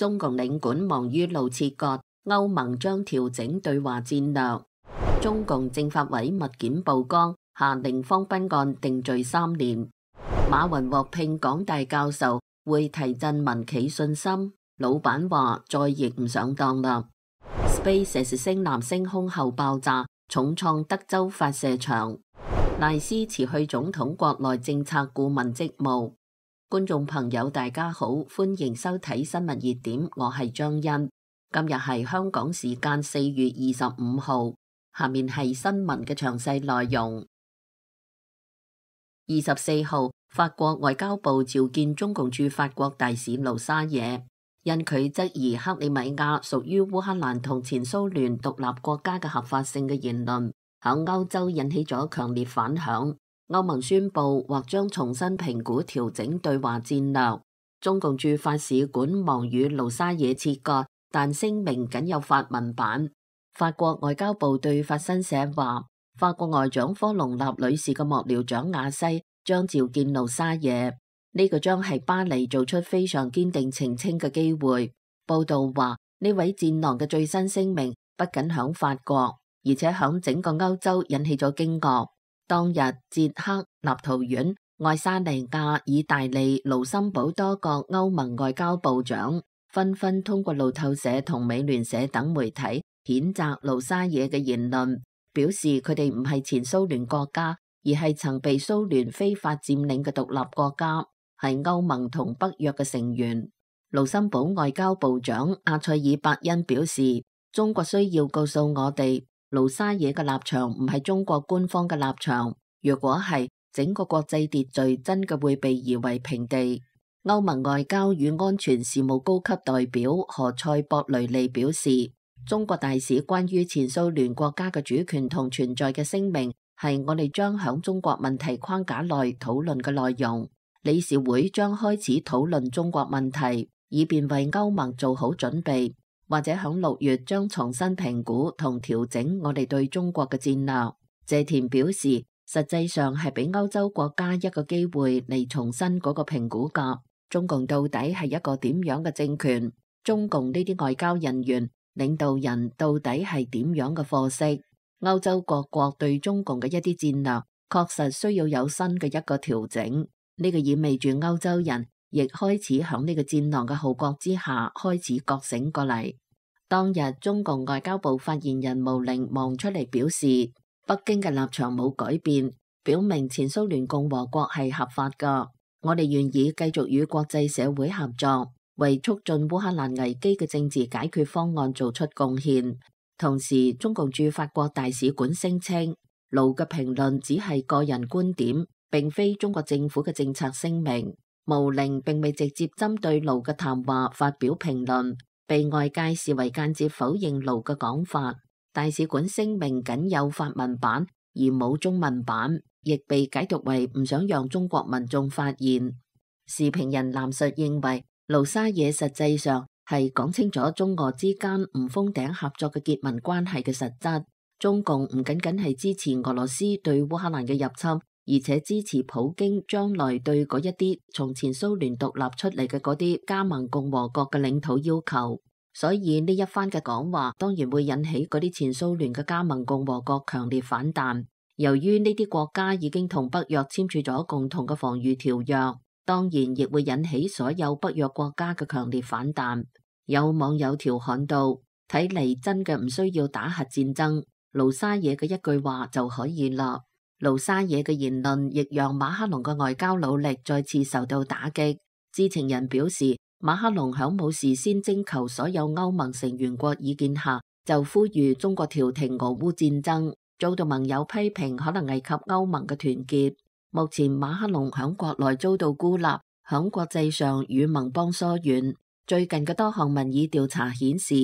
中共領館忙於路切割，歐盟將調整對華戰略。中共政法委密件曝光，下令方斌案定罪3年。馬雲獲聘港大教授，會提振民企信心。老闆話再亦唔上當啦。SpaceX 星艦升空後爆炸，重創德州發射場。賴斯辭去總統國內政策顧問職務。觀眾朋友大家好，歡迎收睇新聞熱點，我係張欣。今日係香港時間4月25號，下面係新聞嘅詳細內容。24號，法國外交部召見中共駐法國大使盧沙野，因佢質疑克里米亞屬於烏克蘭同前蘇聯獨立國家嘅合法性嘅言論，喺歐洲引起咗強烈反響。歐盟宣布或將重新評估調整對華戰略。中共駐法使館忙與盧沙野切割，但聲明僅有法文版。法國外交部對法新社話，法國外長科隆納女士嘅幕僚長亞西將召見盧沙野，呢個將係巴黎做出非常堅定澄清嘅機會。報道話，呢位戰狼嘅最新聲明不僅響法國，而且響整個歐洲引起咗驚愕。當日，捷克、立陶宛、愛沙尼亞、意大利、盧森堡多個歐盟外交部長紛紛通過路透社同美聯社等媒體譴責盧沙野嘅言論，表示佢哋唔係前蘇聯國家，而係曾被蘇聯非法佔領嘅獨立國家，係歐盟同北約嘅成員。盧森堡外交部長阿塞爾伯恩表示，中國需要告訴我哋，盧沙野嘅立場唔係中國官方嘅立場，若果係，整個國際秩序真嘅會被夷為平地。歐盟外交與安全事務高級代表何塞博雷利表示，中國大使關於前蘇聯國家嘅主權同存在嘅聲明係我哋將響中國問題框架內討論嘅內容。理事會將開始討論中國問題，以便為歐盟做好準備，或者響6月將重新評估同調整我哋對中國嘅戰略。謝田表示，實際上係俾歐洲國家一個機會嚟重新嗰個評估㗎。中共到底係一個點樣嘅政權？中共呢啲外交人員、領導人到底係點樣嘅貨色？歐洲各國對中共嘅一啲戰略確實需要有新嘅一個調整。呢個意味住歐洲人亦開始響呢個戰狼嘅號角之下開始覺醒過嚟。當日中共外交部發言人毛寧忙出嚟表示，北京嘅立場冇改變，表明前蘇聯共和國係合法㗎。我哋願意繼續與國際社會合作，為促進烏克蘭危機嘅政治解決方案做出貢獻。同時，中共駐法國大使館聲稱，盧嘅評論只係個人觀點，並非中國政府嘅政策聲明。毛寧並未直接針對盧嘅談話發表評論，被外界視為間接否認盧嘅講法。大使館聲明僅有法文版而冇中文版，亦被解讀為唔想讓中國民眾發現。時評人藍述認為，盧沙野實際上係講清楚中俄之間唔封頂合作嘅結盟關係嘅實質。中共唔僅僅係支持俄羅斯對烏克蘭嘅入侵，而且支持普京將來對嗰一啲從前蘇聯獨立出嚟嘅嗰啲加盟共和國嘅領土要求，所以呢一番嘅講話當然會引起嗰啲前蘇聯嘅加盟共和國強烈反彈。由於呢啲國家已經同北約簽署咗共同嘅防禦條約，當然亦會引起所有北約國家嘅強烈反彈。有網友調侃到，睇嚟真嘅唔需要打核戰爭，盧沙野嘅一句話就可以啦。盧沙野嘅言論亦讓馬克龍嘅外交努力再次受到打擊。知情人表示，馬克龍響冇事先徵求所有歐盟成員國意見下，就呼籲中國調停俄烏戰爭，遭到盟友批評可能危及歐盟嘅團結。目前馬克龍響國內遭到孤立，響國際上與盟邦疏遠。最近嘅多項民意調查顯示，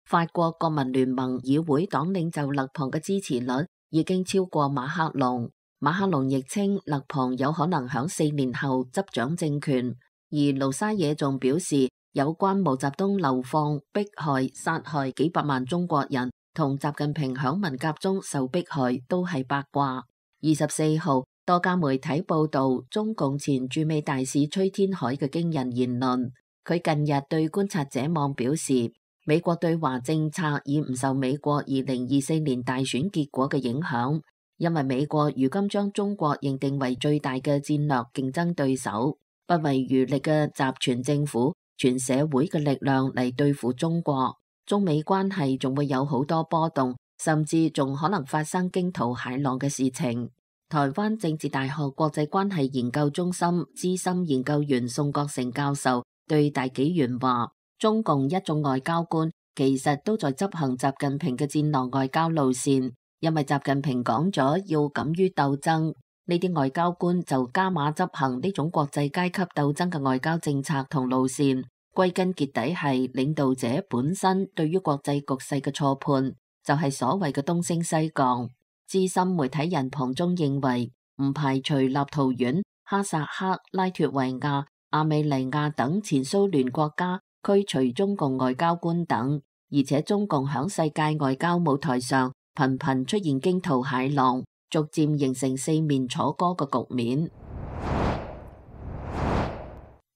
法國國民聯盟議會黨領袖勒龐嘅支持率已經超過馬克龍。馬克龍亦稱勒龐有可能響4年後執掌政權，而盧沙野仲表示，有關毛澤東流放、迫害、殺害幾百萬中國人同習近平響文革中受迫害都係八卦。24號，多家媒體報道中共前駐美大使崔天凱嘅驚人言論。佢近日對觀察者網表示，美國對華政策已唔受美國2024年大選結果嘅影響，因為美國如今將中國認定為最大嘅戰略競爭對手，不遺餘力嘅集全政府、全社會嘅力量嚟對付中國。中美關係仲會有好多波動，甚至仲可能發生驚濤駭浪嘅事情。台灣政治大學國際關係研究中心資深研究員宋國成教授對大紀元話，中共一眾外交官其實都在執行習近平嘅戰狼外交路線，因為習近平講咗要敢於鬥爭，呢啲外交官就加碼執行呢種國際階級鬥爭嘅外交政策同路線。歸根結底係領導者本身對於國際局勢嘅錯判，就係所謂嘅東升西降。資深媒體人龐中認為，唔排除立陶宛、哈薩克、拉脫維亞、亞美尼亞等前蘇聯國家驅除中共外交官等，而且中共響世界外交舞台上頻頻出現驚濤駭浪，逐漸形成四面楚歌嘅局面。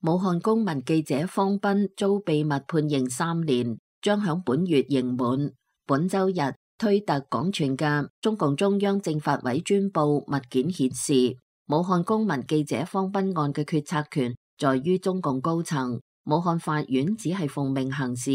武漢公民記者方斌遭秘密判刑3年，將響本月刑滿。本周日推特廣傳嘅中共中央政法委專報物件顯示，武漢公民記者方斌案嘅決策權在於中共高層，武漢法院只係奉命行事。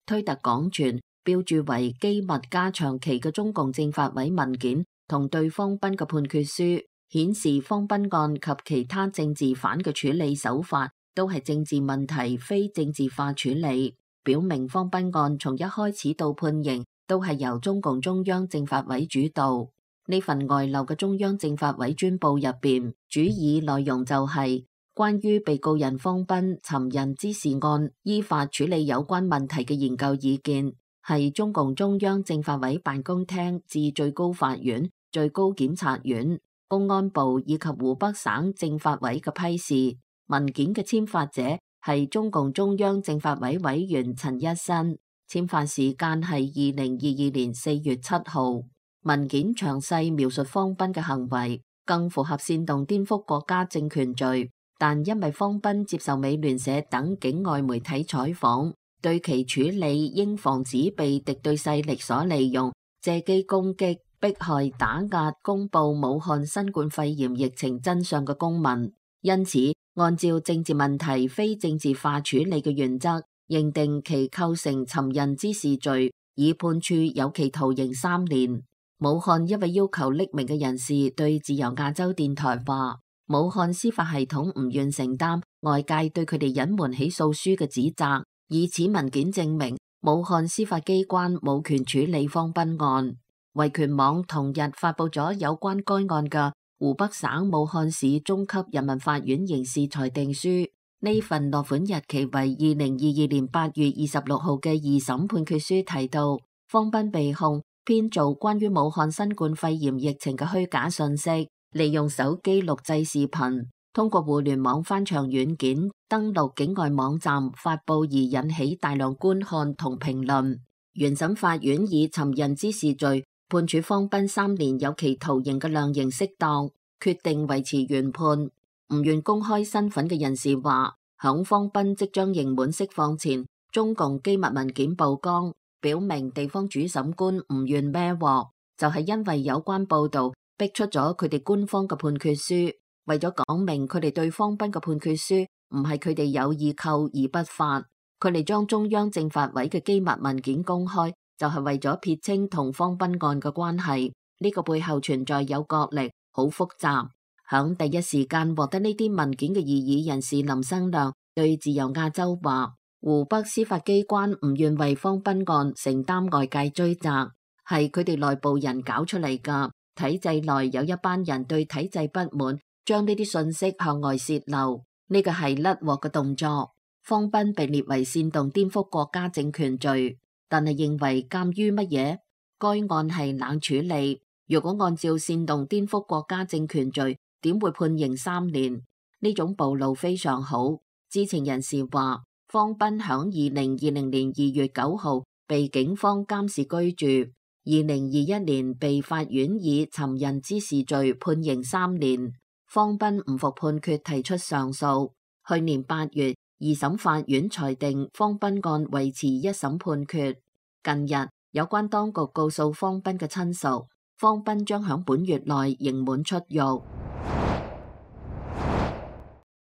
推特廣傳標注為機密加長期嘅中共政法委文件同對方斌嘅判決書，顯示方斌案及其他政治犯嘅處理手法都係政治問題，非政治化處理，表明方斌案從一開始到判刑都係由中共中央政法委主導。呢份外漏嘅中央政法委專報入邊，主要內容就係關於被告人方斌尋釁滋事案依法處理有關問題嘅研究意見，係中共中央政法委辦公廳至最高法院、最高檢察院、公安部以及湖北省政法委嘅批示。文件嘅簽發者係中共中央政法委委員陳一新，簽發時間係2022年4月7號。文件詳細描述方斌嘅行為，更符合煽動顛覆國家政權罪，但因為方斌接受美聯社等境外媒體採訪，對其處理應防止被敵對勢力所利用，借機攻擊、迫害、打壓公布武漢新冠肺炎疫情真相嘅公民，因此按照政治問題非政治化處理嘅原則，認定其構成尋釁滋事罪，已判處有期徒刑3年。武漢一位要求匿名嘅人士對自由亞洲電台話，武漢司法系統唔願承擔外界對佢哋隱瞞起訴書嘅指責，以此文件證明武漢司法機關冇權處理方斌案。維權網同日發布咗有關該案嘅湖北省武漢市中級人民法院刑事裁定書，呢份落款日期為2022年8月26號嘅二審判決書提到，方斌被控編造關於武漢新冠肺炎疫情嘅虛假信息，利用手機錄製視頻，通過互聯網翻牆軟件登錄境外網站發布而引起大量觀看同評論。原審法院以尋釁滋事罪判處方斌3年有期徒刑嘅量刑適當，決定維持原判。唔願公開身份嘅人士話，響方斌即將刑滿釋放前，中共機密文件曝光，表明地方主審官唔願孭鑊，就係因為有關報道逼出咗佢哋官方嘅判決書，為咗講明佢哋對方斌嘅判決書唔係佢哋有意扣而不發，佢哋將中央政法委嘅機密文件公開，就係為咗撇清同方斌案嘅關係。呢個背後存在有角力，好複雜。響第一時間獲得呢啲文件嘅異議人士林生亮對自由亞洲話，湖北司法機關唔願為方斌案承擔外界追責，係佢哋內部人搞出嚟噶。體制內有一班人對體制不滿，將呢啲信息向外洩漏，呢個係甩鑊嘅動作。方斌被列為煽動顛覆國家政權罪，但係認為鑒於乜嘢？該案係冷處理，如果按照煽動顛覆國家政權罪，點會判刑3年？呢種暴露非常好。知情人士話，方斌響2020年2月9號被警方監視居住，2021年被法院以尋釁滋事罪判刑3年。方斌唔服判決提出上訴，去年8月二審法院裁定方斌案維持一審判決。近日，有關當局告訴方斌嘅親屬，方斌將響本月內刑滿出獄。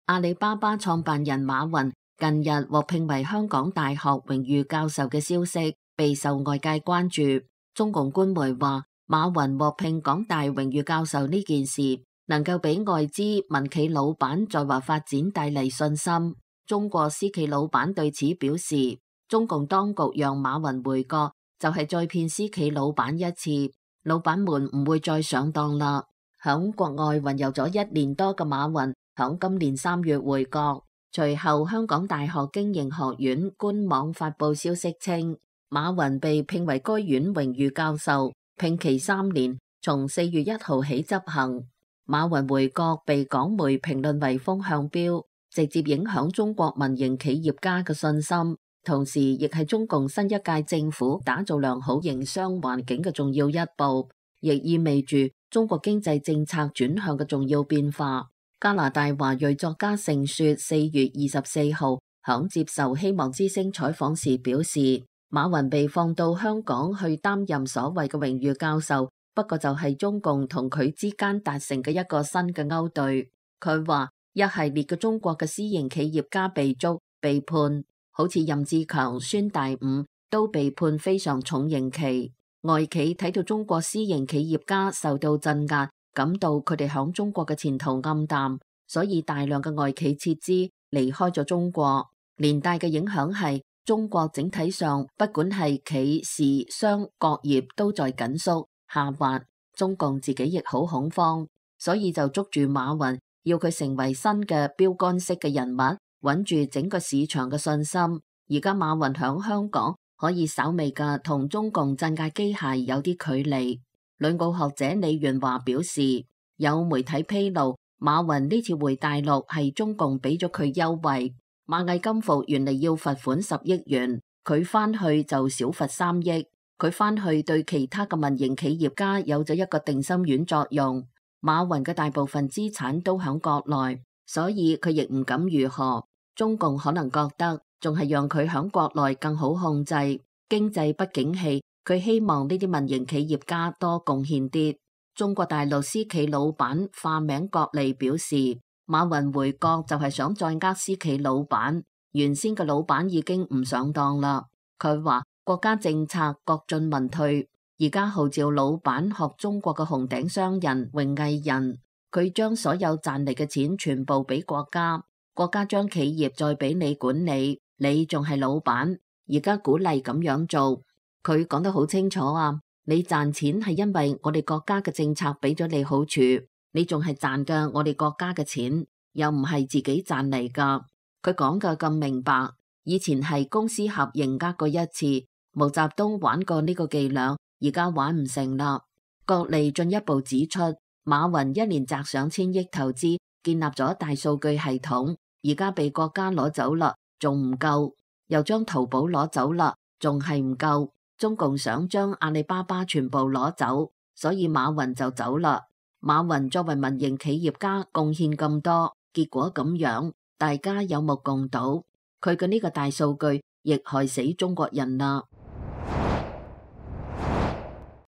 阿里巴巴創辦人馬雲近日獲聘為香港大學榮譽教授嘅消息備受外界關注。中共官媒話，馬雲獲聘港大榮譽教授呢件事能夠俾外資民企老闆在華發展帶嚟信心。中國私企老闆對此表示，中共當局讓馬雲回國就係再騙私企老闆一次，老闆們唔會再上當啦。響國外雲遊咗1年多嘅馬雲響今年3月回國，隨後香港大學經營學院官網發布消息稱，馬雲被聘為該院榮譽教授，聘期3年，從4月1號起執行。馬雲回國被港媒評論為風向標，直接影響中國民營企業家嘅信心，同時亦係中共新一屆政府打造良好營商環境嘅重要一步，亦意味住中國經濟政策轉向嘅重要變化。加拿大華裔作家盛雪4月24號響接受希望之聲採訪時表示，馬雲被放到香港去擔任所謂嘅榮譽教授，不過就係中共同佢之間達成嘅一個新嘅勾兌。佢話一系列嘅中國嘅私營企業家被捉被判，好似任志強、孫大午都被判非常重刑期。外企睇到中國私營企業家受到鎮壓，感到佢哋響中國嘅前途暗淡，所以大量嘅外企撤資離開咗中國。連帶嘅影響係中國整體上不管係企事商各業都在緊縮下滑，中共自己亦好恐慌，所以就捉住馬雲，要佢成為新嘅標杆式嘅人物，穩住整個市場嘅信心。而家馬雲響香港可以稍微嘅同中共鎮壓機械有啲距離。旅澳學者李元華表示，有媒體披露，馬雲呢次回大陸係中共俾咗佢優惠。螞蟻金服原嚟要罰款10億元，佢翻去就少罰3億。佢翻去對其他嘅民營企業家有咗一個定心丸作用。馬雲嘅大部分資產都響國內，所以佢亦唔敢如何。中共可能覺得仲係讓佢響國內更好控制。經濟不景氣，佢希望呢啲民營企業家多貢獻啲。中國大陸私企老闆化名郭利表示，馬雲回國就係想再呃私企老闆，原先嘅老闆已經唔上當啦。佢話國家政策國進民退，而家號召老闆學中國嘅紅頂商人榮毅人，佢將所有賺嚟嘅錢全部俾國家，國家將企業再俾你管理，你仲係老闆。而家鼓勵咁樣做，佢講得好清楚啊！你賺錢係因為我哋國家嘅政策俾咗你好處，你仲係賺嘅我哋國家嘅錢，又唔係自己賺嚟噶。佢講嘅咁明白，以前係公私合營呃過一次，毛澤東玩過呢個伎倆，而家玩唔成啦。郭利進一步指出，馬雲一年砸上千億投資，建立咗大數據系統，而家被國家攞走啦，仲唔夠？又將淘寶攞走啦，仲係唔夠？中共想將阿里巴巴全部攞走，所以馬雲就走啦。馬雲作為民營企業家貢獻咁多，結果咁樣，大家有目共睹。佢嘅呢個大數據亦害死中國人啦。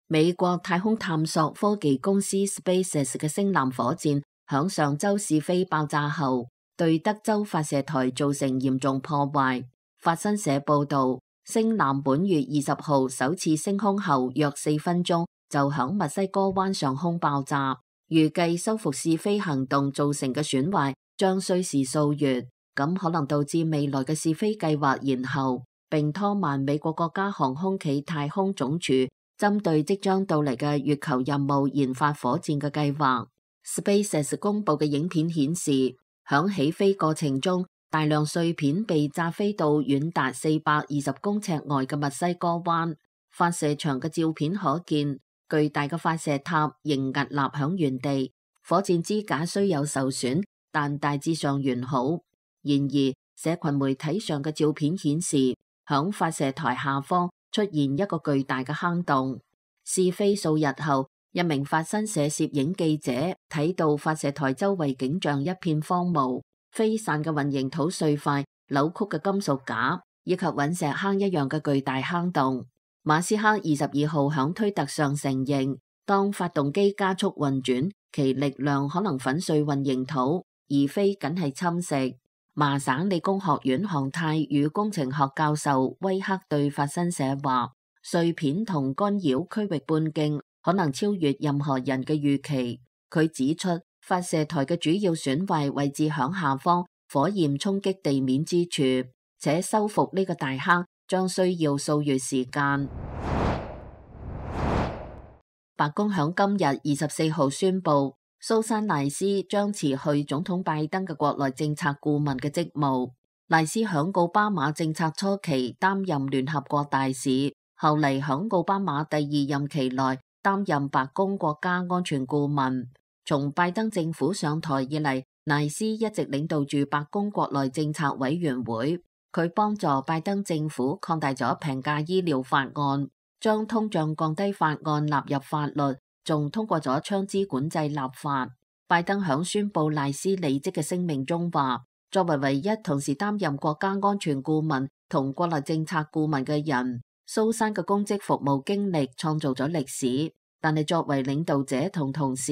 美國太空探索科技公司 SpaceX 嘅星艦火箭響上週試飛爆炸後，對德州發射台造成嚴重破壞。法新社報道，星艦本月20號首次升空後約4分鐘就響墨西哥灣上空爆炸，預計修復試飛行動造成嘅損壞將需時數月，咁可能導致未來嘅試飛計劃延後，並拖慢美國國家航空暨太空總署針對即將到嚟嘅月球任務研發火箭嘅計劃。SpaceX 公佈嘅影片顯示，響起飛過程中，大量碎片被炸飛到遠達420公尺外嘅墨西哥灣。發射場嘅照片可見，巨大嘅發射塔仍屹立響原地，火箭支架雖有受損，但大致上完好。然而，社群媒體上嘅照片顯示，響發射台下方出現一個巨大嘅坑洞。試飛數日後，一名法新社攝影記者睇到發射台周圍景象一片荒蕪，飛散嘅混凝土碎塊扭曲嘅金屬架，以及隕石坑一樣嘅巨大坑洞。馬斯克22號響推特上承認，當發動機加速運轉，其力量可能粉碎混凝土，而非僅係侵蝕。麻省理工學院航太與工程學教授威克對法新社話，碎片同干擾區域半徑可能超越任何人嘅預期。佢指出，發射台嘅主要損壞位置響下方，火焰衝擊地面之處，且修復呢個大坑將需要數月時間。白宮響今日24號宣布，蘇珊賴斯將辭去總統拜登嘅國內政策顧問嘅職務。賴斯響奧巴馬政策初期擔任聯合國大使，後嚟響奧巴馬第二任期內擔任白宮國家安全顧問。從拜登政府上台以嚟，賴斯一直領導住白宮國內政策委員會。佢幫助拜登政府擴大咗平價醫療法案，將通脹降低法案納入法律，仲通過咗槍支管制立法。拜登響宣布賴斯離職嘅聲明中話，作為唯一同時擔任國家安全顧問同國內政策顧問嘅人，蘇珊嘅公職服務經歷創造咗歷史。但係作為領導者同同事，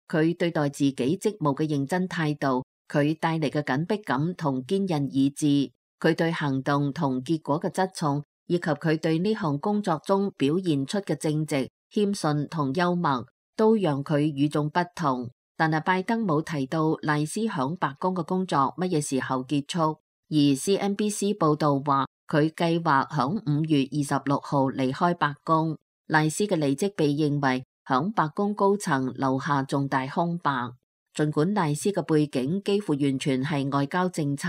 佢對待自己職務嘅認真態度，佢帶嚟嘅緊迫感同堅韌意志，佢對行動同結果嘅側重，以及佢對呢項工作中表現出嘅正直、謙遜同幽默，都讓佢與眾不同。但係拜登冇提到賴斯響白宮嘅工作乜嘢時候結束，而 CNBC 報道話佢計劃響5月26號離開白宮。賴斯嘅離職被認為響白宮高層留下重大空白。儘管賴斯嘅背景幾乎完全係外交政策，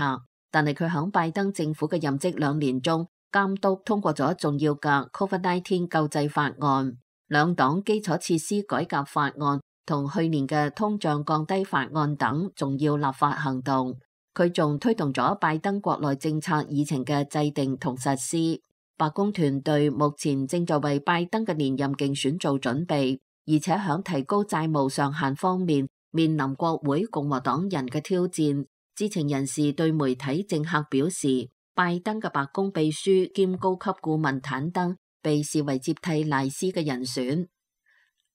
但係佢響拜登政府嘅任職2年中，監督通過咗重要嘅 COVID-19 救濟法案、兩黨基礎設施改革法案同去年嘅通脹降低法案等重要立法行動。佢仲推動咗拜登國內政策議程嘅制定同實施。白宮團隊目前正在為拜登嘅連任競選做準備，而且響提高債務上限方面面臨國會共和黨人嘅挑戰。知情人士對媒體政客表示，拜登嘅白宮秘書兼高級顧問坦登被視為接替賴斯嘅人選。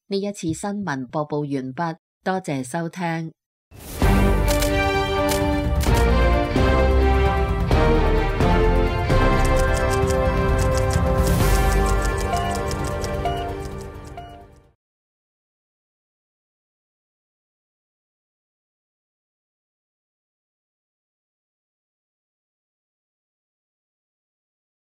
呢一次新聞播報完畢，多謝收聽。